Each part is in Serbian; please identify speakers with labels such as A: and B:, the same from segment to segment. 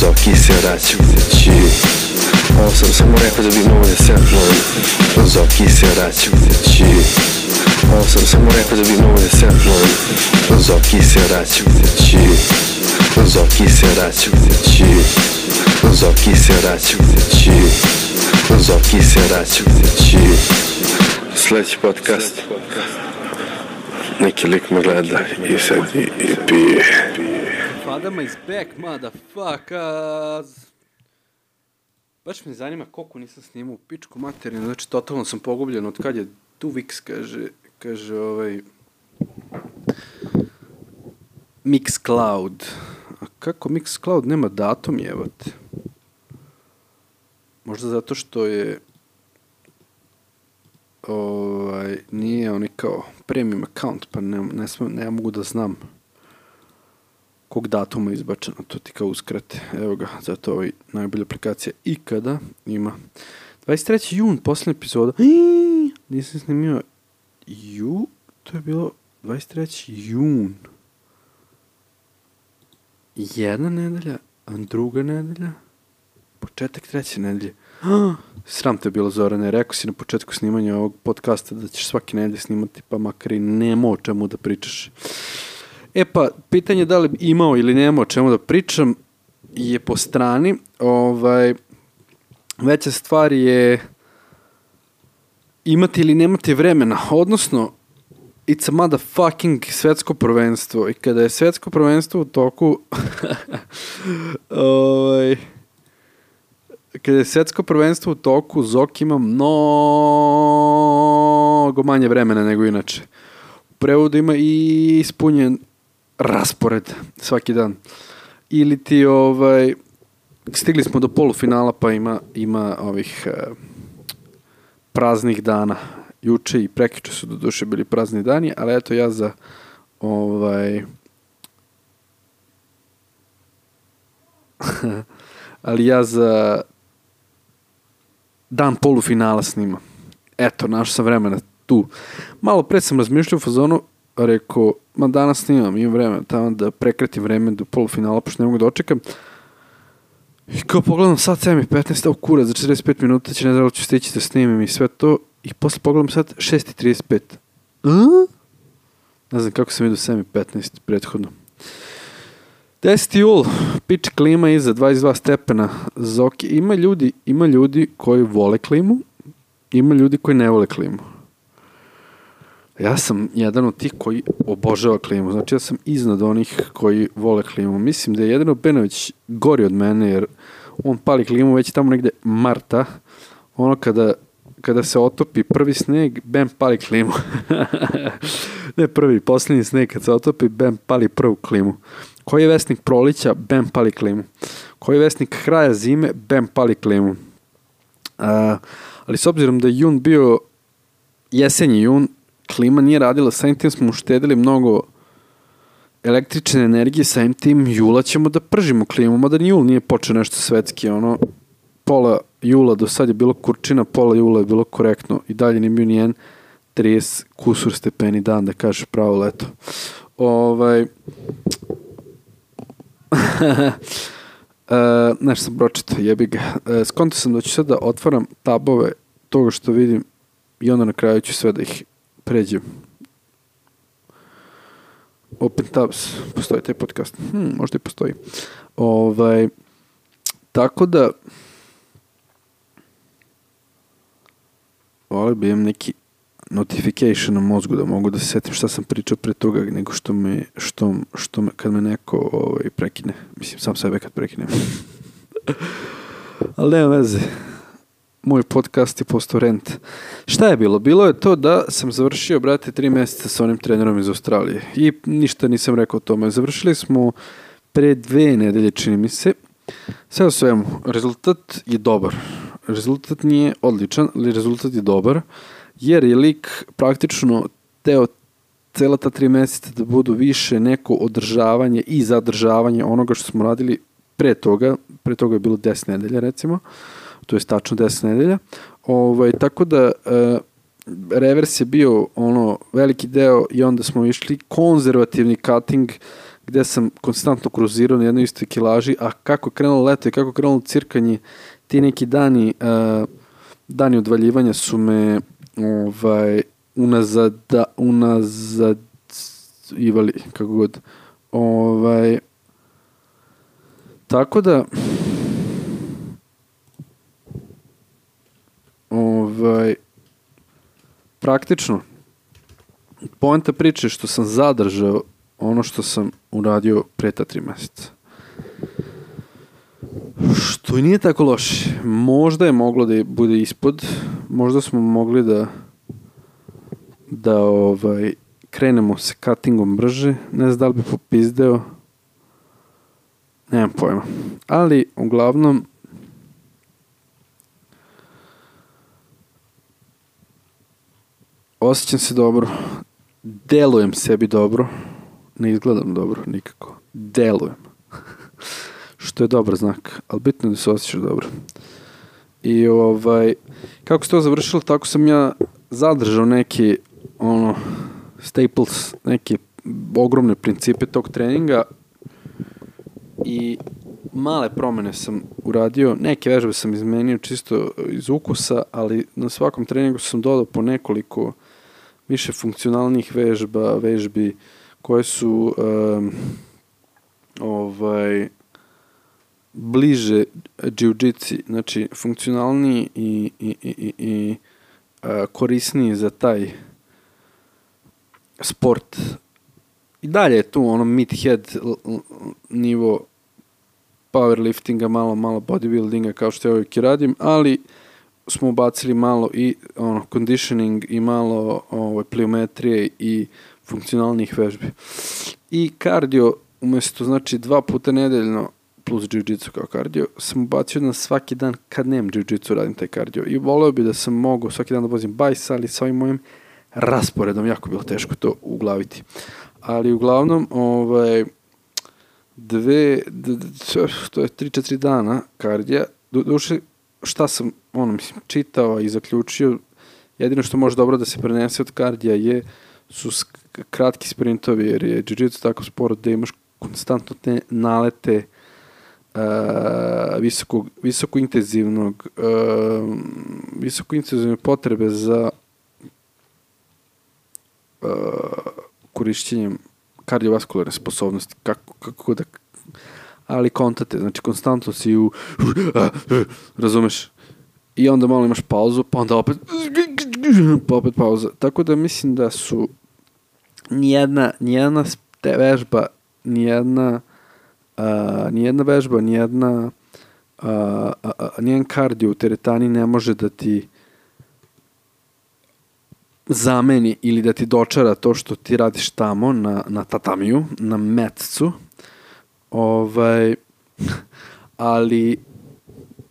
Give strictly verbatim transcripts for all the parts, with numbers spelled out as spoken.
A: Zoki se vraća kući. Ovo sam samo rekao da bi mogo da se apnujem. Zoki se vraća kući. Ovo sam samo rekao da bi mogo da se apnujem. Zoki se vraća kući. Zoki se vraća kući. Zoki se vraća kući. Zoki se vraća kući. Sljedeći podcast. Neki lik me gleda i sad i, i pije.
B: Fadama is back, motherfuckers. Baš me zanima koliko nisam snimao u pičku materinu, znači totalno sam pogubljen od kad je Tuvix, kaže, kaže ovaj Mixcloud. A kako Mixcloud nema datum jebate? Možda zato što je ovaj, nije oni kao premium account, pa ne, ne, sm, ne mogu da znam kog datuma je izbačeno, to ti kao uskrate. Evo ga, zato ovaj najbolja aplikacija ikada ima. dvadeset treći jun, posljednja epizoda. Iii, nisam snimio ju, to je bilo dvadeset treći jun. Jedna nedelja, a druga nedelja, početak treće nedelje. Ah, sram te bilo, Zorane, rekao si na početku snimanja ovog podcasta da ćeš svake nedelje snimati, pa makar i nema o čemu da pričaš. E pa, pitanje da li imao ili nema o čemu da pričam je po strani. Ovaj, veća stvar je imati ili nemati vremena, odnosno it's a motherfucking svetsko prvenstvo i kada je svetsko prvenstvo u toku ovaj, kada je svetsko prvenstvo u toku, Zoki ima mnogo manje vremena nego inače. U prevodu ima i ispunjen raspored svaki dan. Ili ti ovaj stigli smo do polufinala pa ima ima ovih eh, praznih dana. Juče i prekjuče su do duše bili prazni dani, ali eto ja za ovaj ali ja za dan polufinala snimam. Eto, našao sam vremena tu. Malo pre sam razmišljao u fazonu, rekao, ma danas snimam, imam vremena tamo da prekratim vreme do polufinala, pošto ne mogu da očekam. I kao pogledam sad sedam i petnaest, evo kurac, za četrdeset pet minuta će ne znam da ću stići da snimim i sve to. I posle pogledam sad šest i trideset pet. Uh? Ne znam kako sam vidio sedam i petnaest prethodno. deseti jul, pič klima iza dvadeset dva stepena. Zoki. Ima ljudi, ima ljudi koji vole klimu, ima ljudi koji ne vole klimu. Ja sam jedan od tih koji obožava klimu. Znači ja sam iznad onih koji vole klimu. Mislim da je Jedino Benović gori od mene jer on pali klimu već tamo negde marta. Ono kada, kada se otopi prvi sneg, bam, pali klimu. Ne prvi, posljednji sneg kad se otopi, bam, pali prvu klimu. Koji je vesnik prolića, bam, pali klimu. Koji je vesnik kraja zime, bam, pali klimu. Uh, ali s obzirom da je jun bio jesenji jun, klima nije radila, samim tim smo uštedili mnogo električne energije, samim tim jula ćemo da pržimo klimu, mada ni jul nije počeo nešto svetski, ono, pola jula do sad je bilo kurčina, pola jula je bilo korektno i dalje nije bio nijen trideset kusur stepeni dan, da kažeš pravo leto. Ovaj... uh, nešto sam pročitao, jebi ga. Uh, skonto sam da ću sad da otvaram tabove toga što vidim i onda na kraju ću sve da ih pređem. Open tabs, postoji taj podcast. Hmm, možda i postoji. Ovaj, tako da volio bi imam neki notification na mozgu da mogu da se setim šta sam pričao pre toga nego što me, što, što me kad me neko ovaj, prekine. Mislim, sam sebe kad prekinem. Ali nema veze. Moj podcast je postao rent. Šta je bilo? Bilo je to da sam završio, brate, tri mjeseca sa onim trenerom iz Australije. I ništa nisam rekao o tome. Završili smo pre dve nedelje, čini mi se. Sve o svemu, rezultat je dobar. Rezultat nije odličan, ali rezultat je dobar. Jer je lik praktično teo cela ta tri mjeseca da budu više neko održavanje i zadržavanje onoga što smo radili pre toga. Pre toga je bilo deset nedelja, recimo. To je tačno deset nedelja. Ovaj, tako da e, revers je bio ono veliki deo i onda smo išli konzervativni cutting gde sam konstantno kruzirao na jednoj istoj kilaži, a kako je krenulo leto i kako je krenulo cirkanje, ti neki dani, uh, dani odvaljivanja su me ovaj, unazad, unazad ivali, kako god. Ovaj, tako da ovaj, praktično poenta priče što sam zadržao ono što sam uradio pre ta tri meseca. Što i nije tako loše. Možda je moglo da bude ispod, možda smo mogli da da ovaj krenemo sa cuttingom brže, ne znam da li bi popizdeo, nemam pojma. Ali, uglavnom, osjećam se dobro, delujem sebi dobro, ne izgledam dobro nikako, delujem. Što je dobar znak, ali bitno je da se osjećaš dobro. I ovaj, kako se to završilo, tako sam ja zadržao neki, ono, staples, neke ogromne principe tog treninga i male promene sam uradio, neke vežbe sam izmenio čisto iz ukusa, ali na svakom treningu sam dodao po nekoliko više funkcionalnih vežba, vežbi koje su um, ovaj bliže džiu-džici, znači funkcionalniji i, i, i, i, i uh, korisniji za taj sport. I dalje je tu ono mid-head nivo powerliftinga, malo, malo bodybuildinga kao što ja uvijek i radim, ali smo ubacili malo i ono conditioning i malo ovaj, pliometrije i funkcionalnih vežbi. I kardio, umjesto znači dva puta nedeljno plus jiu-jitsu kao kardio, sam ubacio na svaki dan kad nemam jiu-jitsu radim taj kardio. I voleo bi da sam mogao svaki dan da vozim bajs, ali sa ovim mojim rasporedom jako bilo teško to uglaviti. Ali uglavnom, ovaj, dve, d, d, to je tri četiri dana kardija, do, duše, šta sam, ono, mislim, čitao i zaključio, jedino što može dobro da se prenese od kardija je, su sk- kratki sprintovi, jer je jiu-jitsu tako sport da imaš konstantno te nalete uh, visoko, visoko intenzivnog, uh, visoko intenzivne potrebe za uh, korišćenjem kardiovaskularne sposobnosti, kako, kako da, ali kontate, znači konstantno si u, razumeš, i onda malo imaš pauzu, pa onda opet, pa opet pauza, tako da mislim da su nijedna, nijedna te vežba, nijedna, uh, nijedna vežba, nijedna, uh, uh, uh, nijedan kardio u teretani ne može da ti zameni ili da ti dočara to što ti radiš tamo na, na tatamiju, na metcu. Ovaj, ali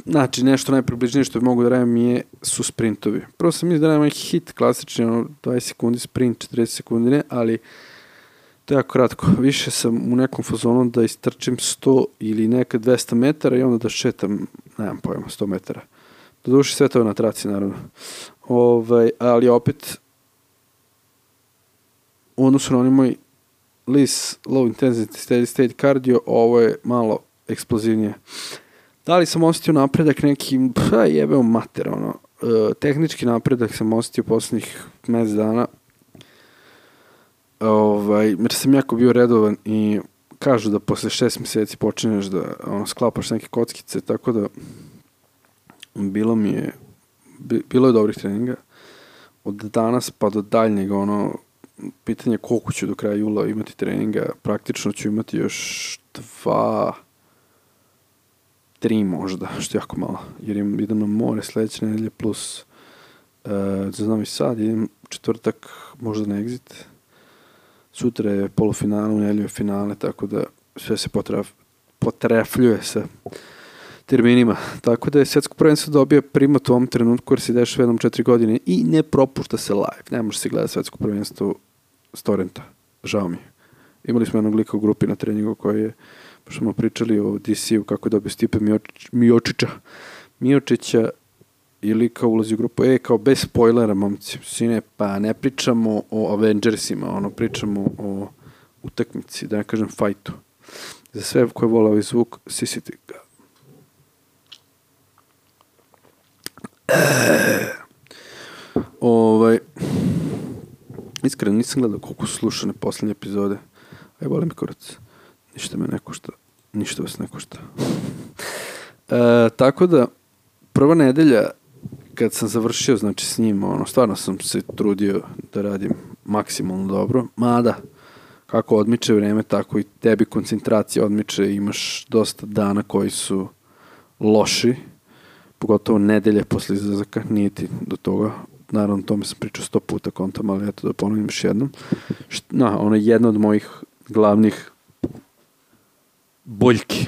B: znači nešto najpribližnije što bi mogu da radim je, su sprintovi. Prvo sam mislim da radim hit klasični, ono, dvadeset sekundi sprint, četrdeset sekundi ne, ali to je jako kratko. Više sam u nekom fazonu da istrčim sto ili nekad dvesta metara i onda da šetam, nemam pojma, sto metara. Doduše sve to je na traci, naravno. Ovaj, ali opet u odnosu na onaj moj Lis low intensity steady state cardio, ovo je malo eksplozivnije. Da li sam osjetio napredak neki, pa jebeo mater, ono, e, tehnički napredak sam osjetio poslednjih mesec dana, ovaj, jer sam jako bio redovan i kažu da posle šest meseci počinješ da ono, sklapaš neke kockice, tako da bilo mi je, bilo je dobrih treninga. Od danas pa do daljnjeg, ono, pitanje koliko ću do kraja jula imati treninga, praktično ću imati još dva, tri možda, što je jako malo, jer im, idem na more sledeće nedelje plus uh, za Novi Sad, idem četvrtak možda na Exit, sutra je polufinale, u nedelju je finale, tako da sve se potref, potrefljuje sa terminima, tako da je svetsko prvenstvo dobija primat u ovom trenutku jer se dešava jednom četiri godine i ne propušta se live, ne može se gledati svetsko prvenstvo s torrenta, žao mi je. Imali smo jednog lika u grupi na treningu koji je, pošto smo pričali o D C-u kako je dobio Stipe Miočić, Miočića, Miočića i lika ulazi u grupu, e, kao bez spoilera, momci, sine, pa ne pričamo o Avengersima, ono, pričamo o utakmici, da ne kažem fajtu. Za sve koje vole ovaj zvuk, sisite ga. Ovaj, iskreno nisam gledao koliko su slušane posljednje epizode. Aj, volim kurac. Ništa me ne košta. Ništa vas ne košta. E, tako da, prva nedelja, kad sam završio, znači, s njim, ono, stvarno sam se trudio da radim maksimalno dobro. Mada, kako odmiče vreme, tako i tebi koncentracija odmiče. Imaš dosta dana koji su loši. Pogotovo nedelje posle izlazaka, nije ti do toga. Naravno, o tome sam pričao sto puta kontam, ali eto da ponovim još jednom. No, ono je jedna od mojih glavnih boljki.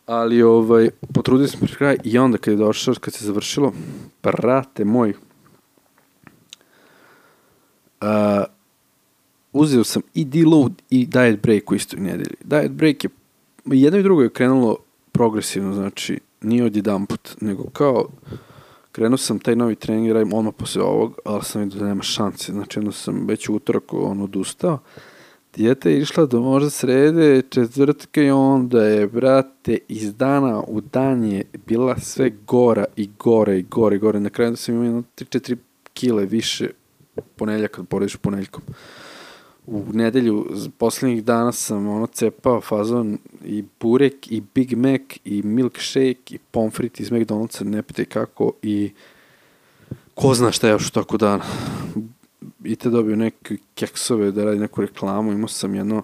B: Ali, ovaj, potrudio sam pri kraj i onda kad je došao, kad se završilo, brate moj, uh, uzeo sam i deload i diet break u istoj nedelji. Diet break je, jedno i drugo je krenulo progresivno, znači, nije od jedan put, nego kao, krenuo sam taj novi trening, radim odmah posle ovog, ali sam vidio da nema šanse, znači, jedno sam već u utorak on odustao. Dijeta je išla do možda srede, četvrtka i onda je, brate, iz dana u dan je bila sve gora i gore i gore i gore. Na kraju da sam imao jedno tri četiri kile više ponedjeljak kad porediš ponedjeljkom. U nedelju posljednjih dana sam ono cepao fazon i burek i Big Mac i milkshake i pomfrit iz McDonald'sa, ne pitaj kako, i ko zna šta je još u toku dana. I te dobio neke keksove da radi neku reklamu, imao sam jedno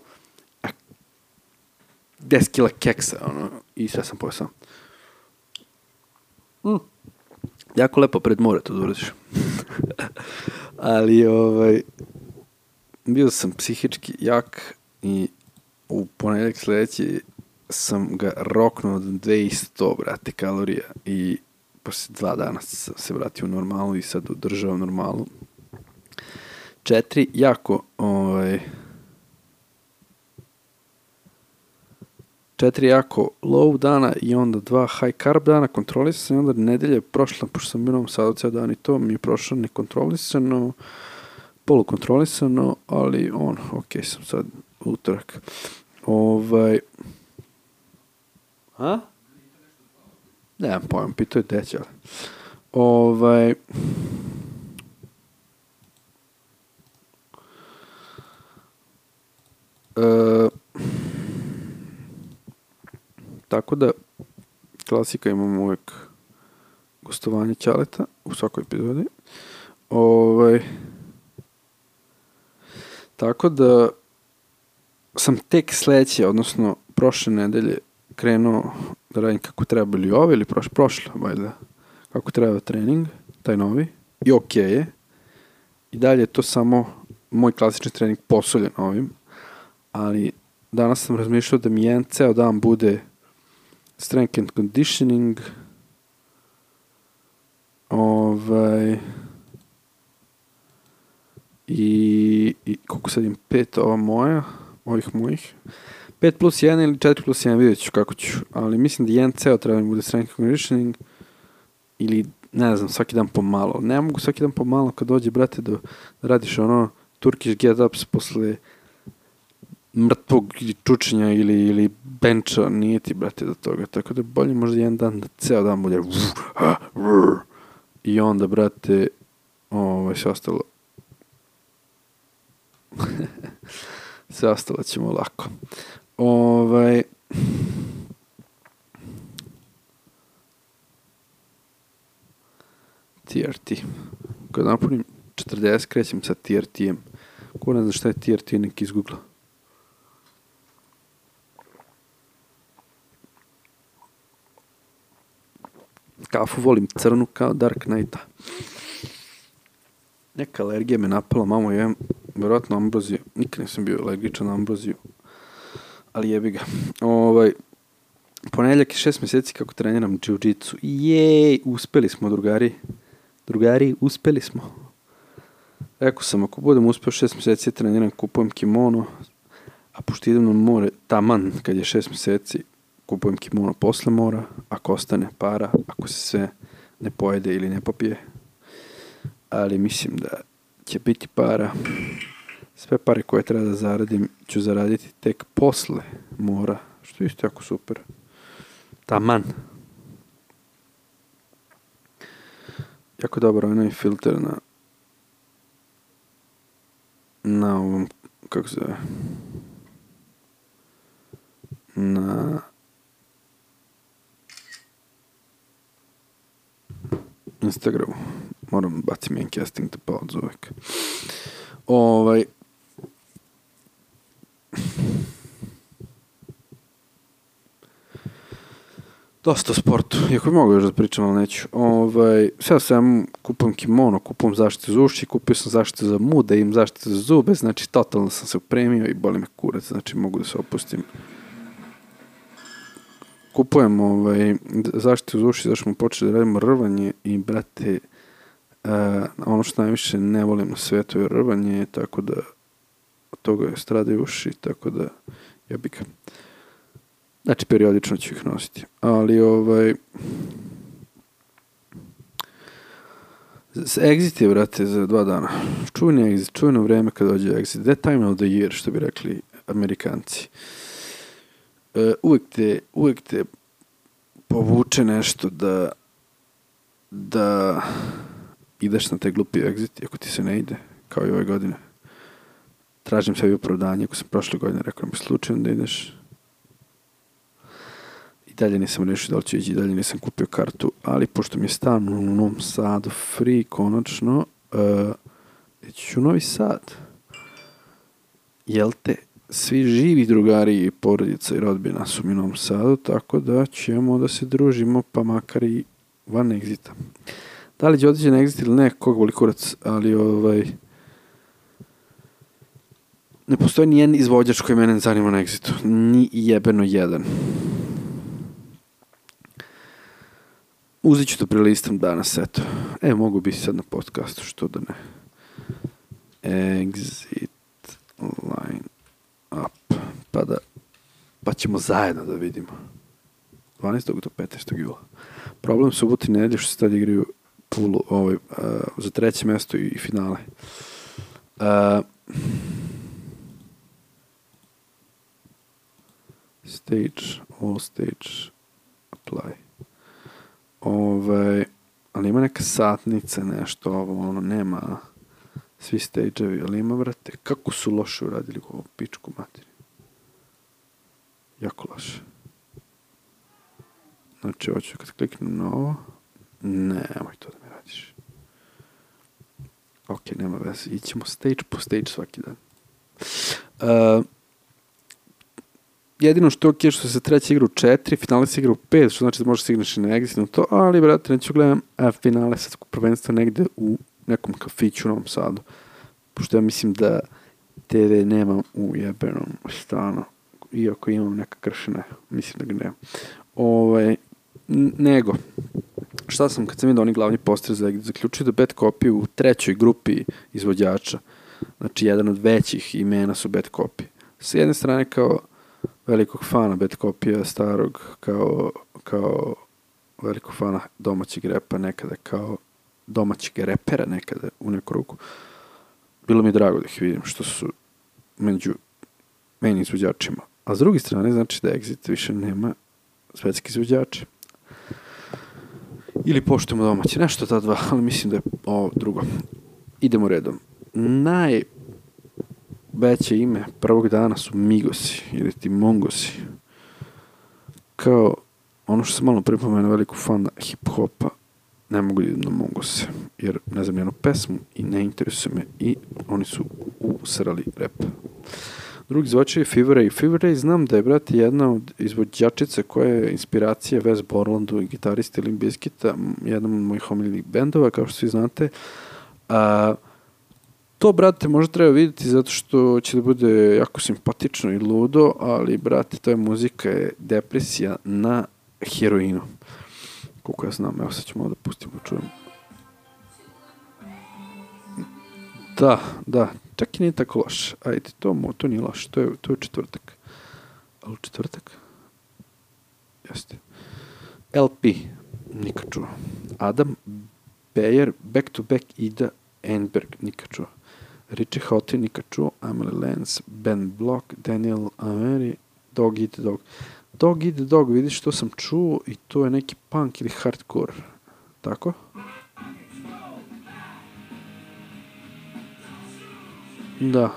B: deset kila keksa, ono, i sve sam pojeo sam. Mm. Jako lepo pred more to da uradiš. Ali, ovaj, bio sam psihički jak i u ponedjeljak sljedeći sam ga roknuo od dvesta, brate, kalorija, i posle dva dana sam se vratio u normalu i sad održao normalu. Četiri jako, ovaj, četiri jako low dana i onda dva high carb dana kontrolisano, i onda nedelje prošla, pošto sam bio u Novom Sadu ceo dan i to mi je prošlo nekontrolisano, polukontrolisano, ali on, ok, sam sad utorak. Ovaj, a? Nemam pojma, pitao je deća, ali. Ovaj, E, tako da klasika, imamo uvijek gostovanje Ćaleta u svakoj epizodi. Ovaj, tako da sam tek sledeće, odnosno prošle nedelje krenuo da radim kako treba, ili ove ili prošle, prošle, valjda, kako treba trening, taj novi, i ok je. I dalje je to samo moj klasični trening posoljen ovim. Ali danas sam razmišljao da mi jedan ceo dan bude strength and conditioning, ovaj, i, i koliko sad imam, pet ova moja, ovih mojih, pet plus jedan ili četiri plus jedan, vidjet ću kako ću, ali mislim da jedan ceo treba mi bude strength and conditioning, ili ne znam, svaki dan pomalo. Ne mogu svaki dan pomalo kad dođe, brate, da, da radiš ono Turkish get-ups posle mrtvog čučenja ili, ili benča, nije ti, brate, do toga. Tako da bolje možda jedan dan da ceo dan bude i onda, brate, ovaj, sve ostalo sve ostalo ćemo lako. Ovaj, T R T. Kad napunim četrdeset, krećem sa T R T-em. Ko ne zna šta je T R T, nek izgoogla. Kafu volim crnu kao Dark Knighta. Neka alergija me napala, mamo, jem vjerojatno ambroziju. Nikad nisam bio alergičan na ambroziju, ali jebi ga. Ovaj, ponedjeljak je šest mjeseci kako treniram jiu-jitsu. Jej, uspeli smo, drugari. Drugari, uspeli smo. Rekao sam, ako budem uspio šest mjeseci treniram, kupujem kimono, a pošto idem na more taman kad je šest mjeseci, kupujem kimono posle mora, ako ostane para, ako se sve ne pojede ili ne popije. Ali mislim da će biti para. Sve pare koje treba da zaradim ću zaraditi tek posle mora, što je isto jako super. Taman. Jako dobar onaj filter na na ovom, kako se zove, na Instagramu. Moram bacim jedan casting to pauzu uvek. Ovaj, dosta o sportu, iako bi mogu još da pričam, ali neću. Ovaj, sada sam kupam kimono, kupam zaštitu za uši, kupio sam zaštitu za muda, imam zaštitu za zube, znači totalno sam se upremio i boli me kurac, znači mogu da se opustim. Kupujem ovaj, zaštitu za uši, zašto smo počeli da radimo rvanje i, brate, uh, ono što najviše ne volim na svetu je rvanje, tako da od toga je stradaju uši, tako da ja bih ga. Znači, periodično ću ih nositi. Ali, ovaj... Exit je, brate, za dva dana. Čuveni exit, čuveno vreme kad dođe exit. That time of the year, što bi rekli Amerikanci. Uh, uvek te, uvek te povuče nešto da da ideš na taj glupi exit, ako ti se ne ide, kao i ove godine. Tražim sebi opravdanje, ako sam prošle godine rekao mi slučajno da ideš. I dalje nisam rešio da li ću ići, i dalje nisam kupio kartu, ali pošto mi je stan u Novom Sadu free, konačno, uh, ići ću u Novi Sad. Jel te? Svi živi drugari i porodica i rodbina su mi u Novom Sadu, tako da ćemo da se družimo, pa makar i van exita. Da li će otići na exit ili ne, kog boli kurac, ali ovaj... Ne postoji ni jedan izvođač koji mene zanima na exitu. Ni jebeno jedan. Uzet ću to prelistam danas, eto. E, mogu biti sad na podcastu, što da ne. Exit line up. Pa da, pa ćemo zajedno da vidimo. dvanaestog do petnaestog jula. Problem suboti i nedelje što se tad igraju pulu, ovaj, uh, za treće mesto i, i finale. Uh, stage, all stage, apply. Ovaj, ali ima neka satnica, nešto, ovo, ono, nema svi stage-evi, ali ima, brate, kako su loše uradili ovo pičku materi. Jako loše. Znači, hoću kad kliknem na ovo, nemoj to da mi radiš. Ok, nema veze, ićemo stage po stage svaki dan. Uh, jedino što je ok, što se treća igra u četiri, finale se igra u pet, što znači da možeš signeš i na exit na to, ali, brate, neću gledam a, finale sad prvenstva negde u nekom kafiću u Novom Sadu. Pošto ja mislim da te ve nemam u jebenom stanu, iako imam neka kršene, mislim da ga nemam. Ovaj, nego, šta sam kad sam vidio oni glavni poster za exit, zaključio da Bad Copy u trećoj grupi izvođača, znači jedan od većih imena su Bad Copy. Sa jedne strane kao velikog fana Bad Copy-a starog, kao, kao velikog fana domaćeg repa nekada, kao domaćeg repera nekada u neku ruku. Bilo mi je drago da ih vidim što su među meni izvođačima. A s druge strane znači da Exit više nema svetski izvođače. Ili poštujemo domaće. Nešto ta dva, ali mislim da je ovo drugo. Idemo redom. Najveće ime prvog dana su Migosi ili ti Mongosi. Kao ono što sam malo pripomenuo veliku fana hip-hopa, ne mogu da idem na Mongose, jer ne znam jednu pesmu i ne interesuje me i oni su usrali rap. Drugi izvođač je Fever Ray. Fever Ray znam da je, brate, jedna od izvođačica koja je inspiracija Wes Borlandu i gitariste Limp Bizkita, jedan od mojih omiljenih bendova, kao što svi znate. A, to, brate, možda treba vidjeti zato što će da bude jako simpatično i ludo, ali, brate, to je muzika, je depresija na heroinu. Koliko ja znam, evo sad ću malo da pustimo, da čujem. Da, da, čak i nije tako loš. Ajde, to, to nije loš, to je, to je četvrtak. Ali u četvrtak? Jeste. el pe, nikad čuo. Adam Beyer, Back to Back, Ida Enberg, nikad čuo. Richie Houghton, nikad čuo, Amelie Lance, Ben Block, Daniel Ameri, Dog Eat Dog. Dog Eat Dog, vidiš, to sam čuo i to je neki punk ili hardcore. Tako? Da.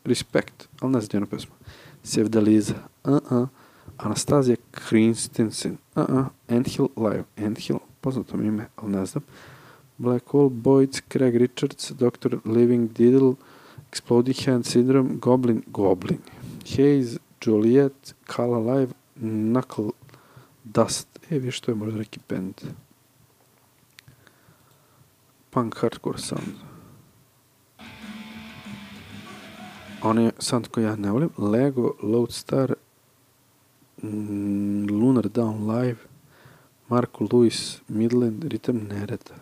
B: Respekt, ali ne znam jednu pesmu. Sevdaliza, uh-uh. Anastazija Christensen, uh-uh. Anthill Live, Anthill, poznato mi ime, ali ne znam. Black Hole Boys, Craig Richards, doktor Living Diddle, Exploding Hand Syndrome, Goblin, Goblin, Haze, Joliet, Kala Live, Knuckle Dust. E, viš, to je možda neki band. Punk hardcore sound. On je sound koji ja ne volim. Lego, Lodestar, mm, Lunar Down Live, Marko Lewis, Midland, Ritam Nereda,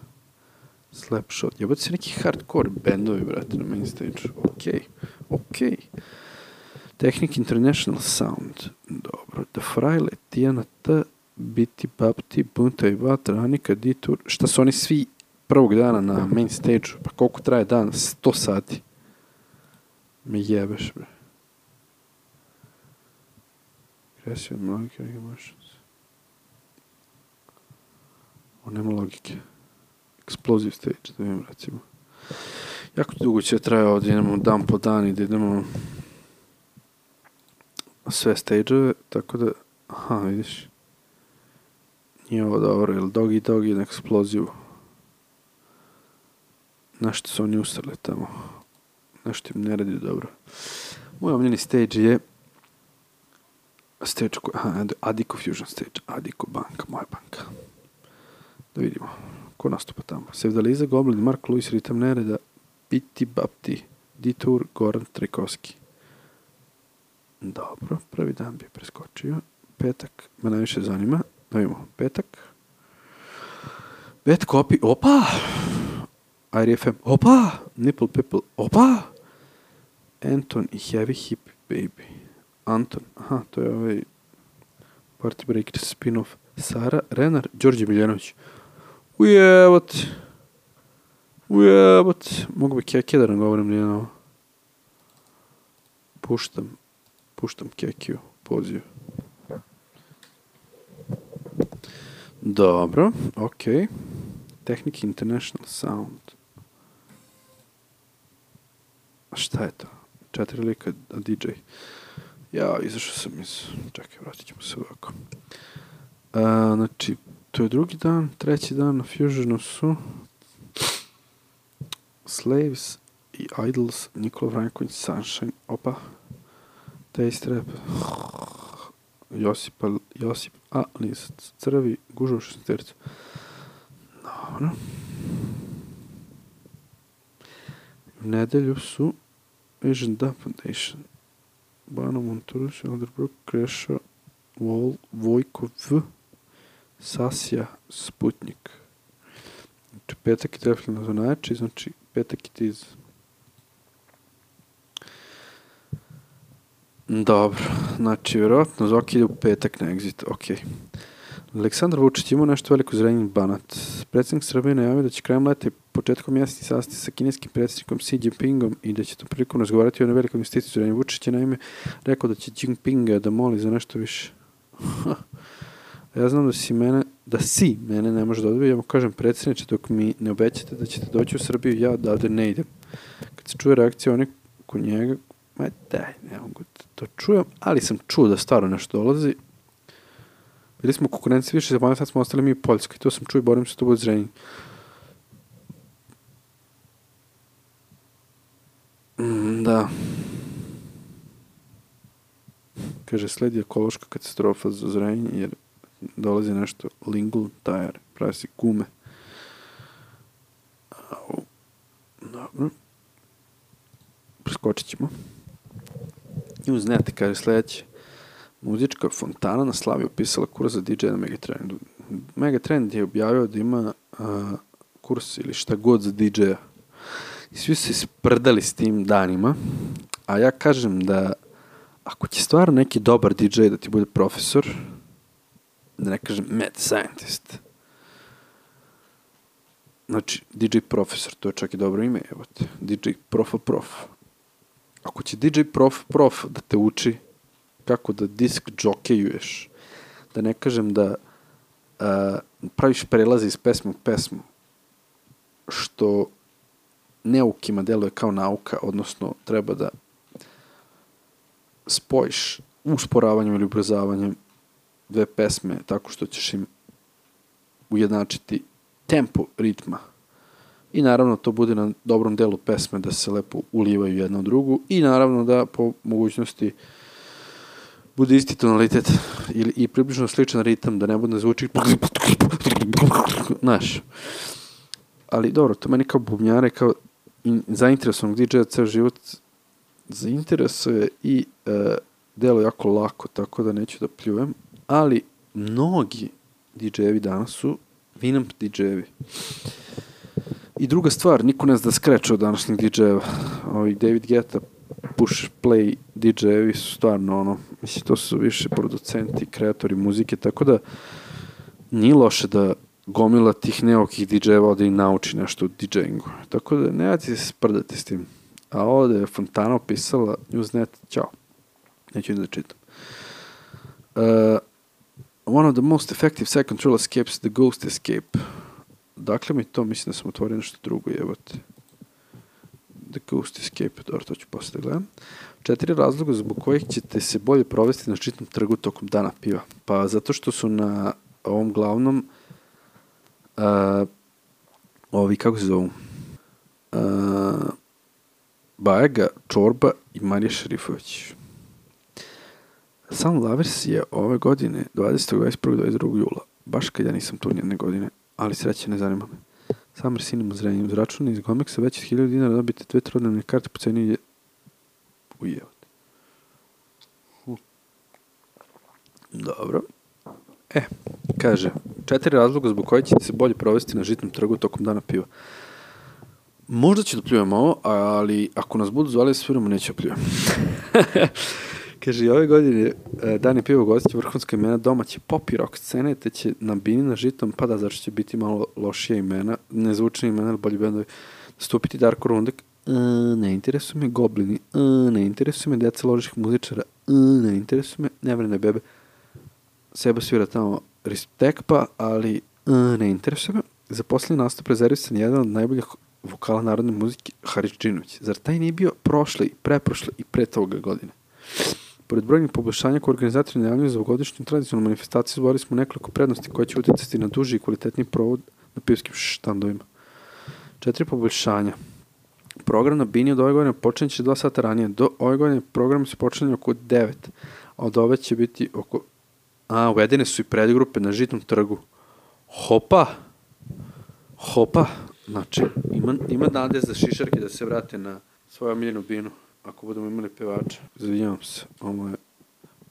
B: Slapshot. Jebate se neki hardcore bendovi, brate, na main stage. Okej, okej. Technic International Sound. Dobro. The Fraile, Tijana T, Biti Bapti, Bunta i Vatra, Anika, Ditur. Šta su oni svi prvog dana na main stage-u? Pa koliko traje dan? sto sati. Me jebeš, bre. Aggressive molecular emotions. O, nema logike. Explosive stage, da vidim, recimo. Jako dugo će traje ovdje, idemo dan po dan i da idemo sve stage-ove, tako da, aha, vidiš. Nije ovo dobro, ili Doggy Doggy na eksplozivu. Nešto su oni usrali tamo. Nešto im ne radi dobro. Moj omljeni stage je stage koji, aha, Adiko Fusion stage, Adiko banka, moja banka. Da vidimo, ko nastupa tamo. Sevdaliza, Goblin, Mark Lewis, Ritam Nereda, Biti Bapti, Detour, Goran Trikovski. Dobro, prvi dan bi preskočio. Petak me najviše zanima. Da vidimo, petak. Bad Copy, opa! I R F M, opa! Nipple People, opa! Anton i Heavy Hippie Baby. Anton, aha, to je ovaj Party Breakers spin-off. Sara, Renar, Đorđe Miljanović. Ujebot. Ujebot. Mogu bi Keke da nam govorim njeno. Puštam. Puštam Kekiju. Poziv. Dobro, okej. Okay. Technic International Sound. A šta je to? Četiri lika, a D J. Ja, izašao sam iz... Čekaj, vratit ćemo se ovako. A, znači, to je drugi dan, treći dan na Fusionu su Slaves i Idols, Nikola Vranković, Sunshine, opa, Taste Rap, Josip, Josip A. Lisac, Crvi, Gužo šestercu. Dobro. U nedelju su Asian Da Foundation, Bano Monturuš, Elderbrook, Kreša, Vol, Vojko V, Sasja, Sputnik. Znači, petak je definitivno za najjači, znači petak je tiz. Dobro, znači, vjerojatno Zoki ide u petak na exit, okej. Okay. Aleksandar Vučić imao nešto veliko zrenjeni Banat. Predsjednik Srbije najavio da će krajem leta i početkom mjeseci sastati sa kineskim predsjednikom Xi Jinpingom i da će tom prilikom razgovarati o velikoj investiciji zrenjeni. Vučić je naime rekao da će Jinpinga da moli za nešto više. Ja znam da si mene, da si mene ne može da odbije, ja mu kažem predsjedniče, dok mi ne obećate da ćete doći u Srbiju, ja odavde ne idem. Kad se čuje reakcija onih kod njega, ma daj, ne mogu to čujem, ali sam čuo da stvarno nešto dolazi. Bili smo konkurenci više zemalja, sad smo ostali mi u Poljskoj, to sam čuo i borim se to bude Zrenjanin. Mm, da. Kaže, sledi ekološka katastrofa za Zrenjanin, jer dolazi nešto Lingle Tire, pravi se gume. Au. Dobro. Preskočit ćemo. Newsnet kaže sljedeće. Muzička fontana na Slavi upisala kurs za D J na Megatrendu. Megatrend je objavio da ima uh, kurs ili šta god za D J-a. I svi su se sprdali s tim danima. A ja kažem da ako će stvarno neki dobar D J da ti bude profesor, da ne kažem mad scientist, Znači, D J Profesor, to je čak i dobro ime, evo te. D J Profa Prof. Ako će D J Prof Prof da te uči kako da disk džokejuješ, da ne kažem da a, praviš prelaze iz pesme u pesmu, što neukima deluje kao nauka, odnosno treba da spojiš usporavanjem ili ubrzavanjem dve pesme tako što ćeš im ujednačiti tempo ritma. I naravno to bude na dobrom delu pesme da se lepo ulivaju jedna u drugu i naravno da po mogućnosti bude isti tonalitet ili, i približno sličan ritam, da ne bude zvuči znaš. Ali dobro, to meni kao bubnjare, kao zainteresovanog D J-a ceo život zainteresuje i uh, delo jako lako, tako da neću da pljujem, ali mnogi D J-evi danas su Winamp D J-evi. I druga stvar, niko ne zna da skreče od današnjih D J-eva. Ovi David Guetta, Push Play D J-evi su stvarno ono, mislim, to su više producenti, kreatori muzike, tako da nije loše da gomila tih neokih D J-eva da im nauči nešto u DJingu. Tako da nemojte se sprdati s tim. A ovdje je Fontana opisala Newsnet, ćao. Neću da čitam. Uh, one of the most effective second control escapes, the Ghost Escape. Dakle mi to, mislim da sam otvorio nešto drugo, jebate. The Ghost Escape, dobro, to ću posle da gledam. Četiri razloga zbog kojih ćete se bolje provesti na čitnom trgu tokom dana piva. Pa zato što su na ovom glavnom uh, ovi, kako se zovu? Uh, Bajega, Čorba i Marija Šerifović. Sam Lavers je ove godine dvadesetog, dvadeset prvog, dvadeset drugog jula. Baš kad ja nisam tu nijedne godine, ali sreće ne zanima me. Summer Cinema zrenje uz račune iz Gomeksa već od hiljadu dinara dobite dve trodnevne karte po ceni je ujevate. Hm. Dobro. E, kaže, četiri razloga zbog koje ćete se bolje provesti na žitnom trgu tokom dana piva. Možda ću da pljujem ovo, ali ako nas budu zvali da sviramo, neću da pljujem. Kaže, i ove godine dan je piva gostiće vrhunska imena domaće pop i rock scene, te će na bini na žitom, pa da, zašto će biti malo lošija imena, nezvučnije imena, ali bolji bendovi, stupiti Darko Rundek, e, ne interesuju me Goblini, e, ne interesuju me deca ložih muzičara, e, ne interesuju me Nevrene bebe, Seba svira tamo Ristekpa, ali e, ne interesuje me. Za posljednji nastup rezervisan jedan od najboljih vokala narodne muzike, Haris Džinović. Zar taj nije bio prošle, preprošle i pre toga godine? Pored brojnih poboljšanja koje organizatori najavljuju za ovogodišnju tradicionalnu manifestaciju, izborili smo nekoliko prednosti koje će utjecati na duži i kvalitetniji provod na pivskim štandovima. Četiri poboljšanja. Program na Bini od ove godine počinje će dva sata ranije. Do ove godine program se počinje oko devet, a od ove će biti oko... A, uvedene su i predgrupe na žitnom trgu. Hopa! Hopa! Znači, ima, ima nade za šišarke da se vrate na svoju omiljenu Binu. Ako budemo imali pevača. Izvinjavam se, ovo je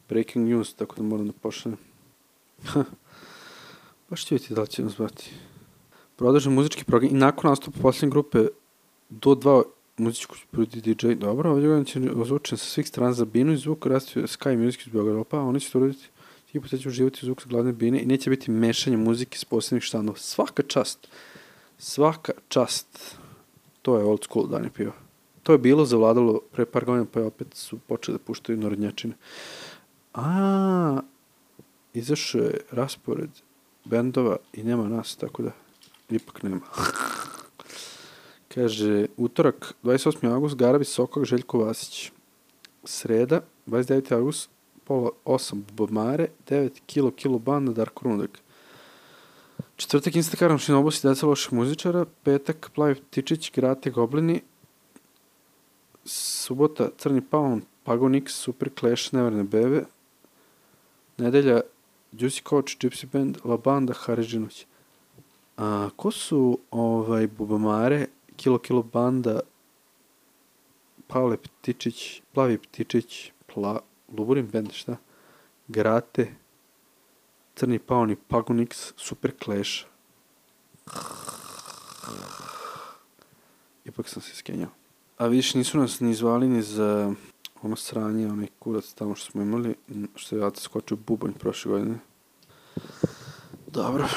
B: breaking news, tako da moram da pošaljem. Baš ću vidjeti da li će nas zvati. Prodržan muzički program i nakon nastupa posljednje grupe do dva muzičku prudi D J. Dobro, ovdje godin će ozvučen sa svih strana za Binu i zvuk rastuje Sky Music iz Beograda. Pa oni će to uraditi i poteći uživati zvuk sa glavne Bine i neće biti mešanje muzike s posebnih štandova. Svaka čast. Svaka čast. To je old school dan je piva. To je bilo zavladalo pre par godina, pa je opet su počeli da puštaju narodnjačine. A, izašao je raspored bendova i nema nas, tako da ipak nema. Kaže, utorak, dvadeset osmi avgust, Garabi, Sokak, Željko Vasić. Sreda, dvadeset deveti avgust, pola osam, Bubamare, devet kilo, kilo banda, Darko Rundek. Četvrtak, Instagram, Šinobus i deca loših muzičara. Petak, Plavi Ptičić, Grate, Goblini. Subota, Crni Paun, Pago Nix, Super Clash, Nevrene bebe. Nedelja, Juicy Coach, Gypsy Band, La Banda, Haris Džinović. A ko su ovaj Bubamare, Kilo Kilo Banda, Pavle Ptičić, Plavi Ptičić, Pla, Luburin Band, šta? Grate, Crni Paun i Pago Nix, Super Clash. Ipak sam se skenjao. A vidiš, nisu nas ni zvali ni za ono sranje, onaj kurac tamo što smo imali, što je Aca skočio bubanj prošle godine. Dobro,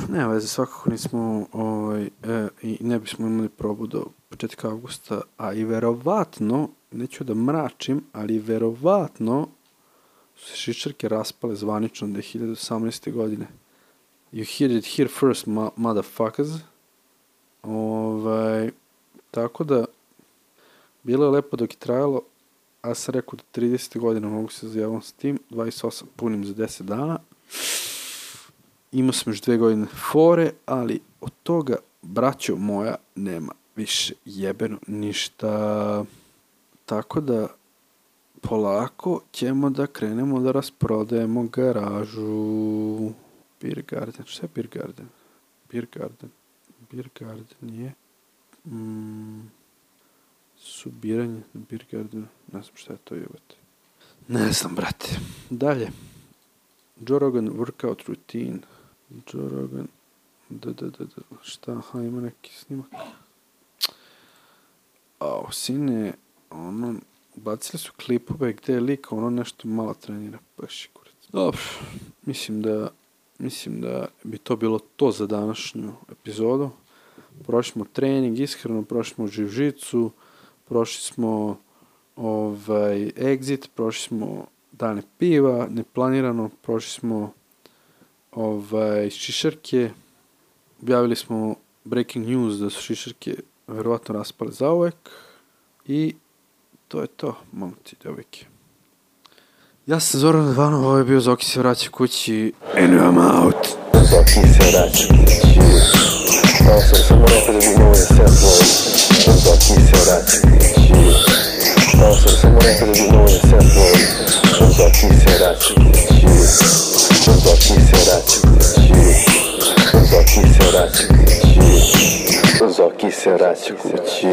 B: nema veze, svakako nismo ovaj, e, i ne bismo imali probu do početka avgusta, a i verovatno, neću da mračim, ali verovatno su se šišarke raspale zvanično do hiljade osamnaeste. godine. You heard it here first, ma- motherfuckers. Ovaj, tako da, bilo je lepo dok je trajalo, a sam rekao do tridesete. godine mogu se zajaviti s tim, dvadeset osam punim za deset dana. Imao sam još dve godine fore, ali od toga, braćo moja, nema više jebeno ništa. Tako da, polako ćemo da krenemo da rasprodajemo garažu. Beer Garden, šta je Beer Garden? Beer Garden, Beer Garden je mm, subiranje na Beer Gardenu, ne znam šta je to jebate. Ne znam, brate. Dalje. Joe Rogan workout routine. Joe Rogan, da, da, da, da, šta, aha, ima neki snimak. Ao, sine, ono, bacili su klipove gde je lik, ono nešto malo trenira, baš je kurac. Dobro, mislim da, mislim da bi to bilo to za današnju epizodu. Prošli smo trening, ishranu, prošli smo živ-žicu, prošli smo ovaj, exit, prošli smo dane piva, neplanirano, prošli smo ovaj, šišarke, objavili smo breaking news da su šišarke verovatno raspale zauvek i to je to, momci, devojke. Ja sam Zoran Radvanov, ovo je bio Zoki se vraća kući and I'm out.
A: Zoki se vraća kući. Ovo sam samo rekao da bi mogu da se odvojim. Zoki se vraća kući. Ovo sam samo rekao da bi mogu da se odvojim. Zoki se vraća kući. Zoki se vraća kući. Zoki se vraća kući. Zoki se vraća kući.